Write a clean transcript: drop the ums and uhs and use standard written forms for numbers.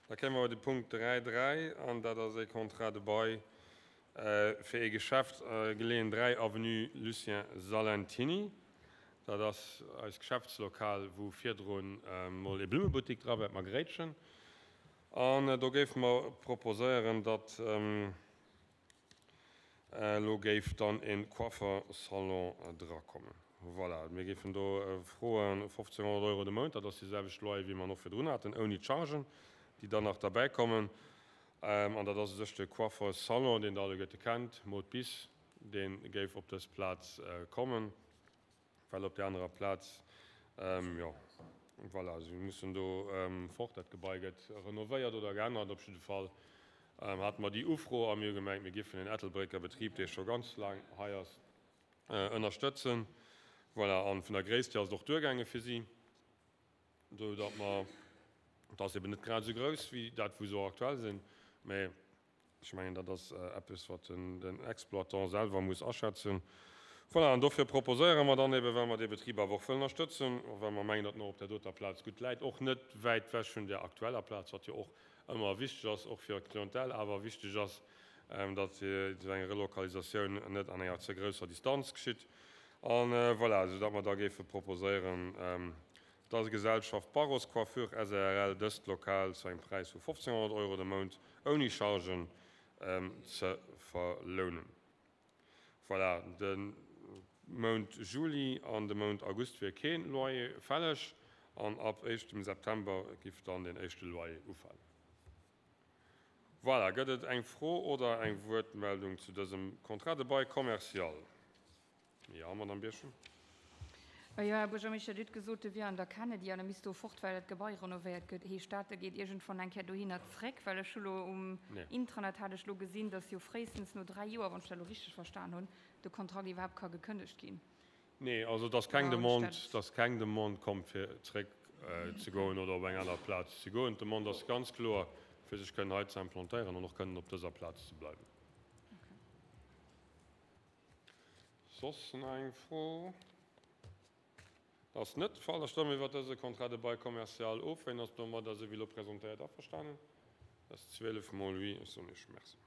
Da kéime mer bei de Punkt 3, 3, an dat ass e Contrat de bail fir ee Geschäft, geleeën 3 Avenue Lucien Salentiny. Dat ass eist Geschäftslokal, wou virdrun mol ee Blummebuttik dra war, d'Margréitchen. An do géife mer proposéieren, datt Elo géif dann e Coiffersalon drakommen. Voilà, mir géifen do froen 1.500 Euro de Mount, dat ass déi selwecht Loyer wéi mer en och virdrun haten, ouni d'Chargen, déi dann nach derbäikommen. An dat ass u sech de Coiffersalon, deen Der alleguerte kennt, Maude Bis, dee géif op dës Plaz kommen. Well op där anerer Plaz, jo, voilà, si mussen do fort, dat Gebai gëtt renovéiert oder geännert. Op jidde Fall hate mer déi Ufro a mir hu gemengt, mir géifen en Ettelbrécker Betrib, dee scho ganz laang hei ass, ënnerstëtzen. Voilà, a vun der Gréisst hier ass et och duergaange fir si, esou datt mer, et ass eben net grad esou grouss wéi dat, wou se och aktuell sinn, mä Ech mengen, dat ass eppes, wat den Exploitant selwer muss aschätzen. Voilà, an dofir proposéiere mer dann eben, well mer dee Betrib awer och wëllen ënnerstëtzen, a well mer mengen, datt en och op där doter Plaz gutt läit, och net wäit wech vun där aktueller Plaz, wat jo och ëmmer wichteg ass, och fir d'Clientèle awer wichteg ass, datt esou eng Relokalisatioun net an enger ze grousser Distanz geschitt. A voilà, soudatt mer da géife proposéieren, der Gesellschaft Barros Coiffure SARL dëst Lokal zu engem Präis vu 1.500 Euro de Mount ouni Chargen ze verlounen. Voilà, de Mount Juli an de Mount August wier kee Loyer fälleg an ab éischtem September giff dann den éischte Loyer ufalen. Voilà, gëtt et eng Fro oder eng Wuertmeldung zu dësem Contrat de bail commercial? Jo, Madamm Birchen. Jo, Här Buergermeeschter, Dir hutt gesot, e wier an der Kennedy an e misst do fort, well dat Gebai renovéiert gëtt. Heescht dat, e geet iergendwann eng Kéier dohinner zréck? Well ech hu lo um Intranet hat ech lo gesinn, datt jo fréistens no 3 Joer, wann ech dat elo richteg verstan hunn, de Kontrakt iwwerhaapt ka gekënnegt ginn. Nee, also et ass keng Demande, et ass keng Demande komm, fir zréck ze goen oder op eng aner Plaz ze goen. D'Demande ass ganz kloer, fir sech kënnen hei ze implantéieren an och kënnen op dëser Plaz ze bleiwen. Soss nach eng Fro? Dat ass net de Fall. Da stëmme mir iwwert dëse Contrat de bail commercial of. Wien ass domadder, esou wéi elo presentéiert, averstanen? Dat ass 12 mol oui. Ech soen Iech Merci.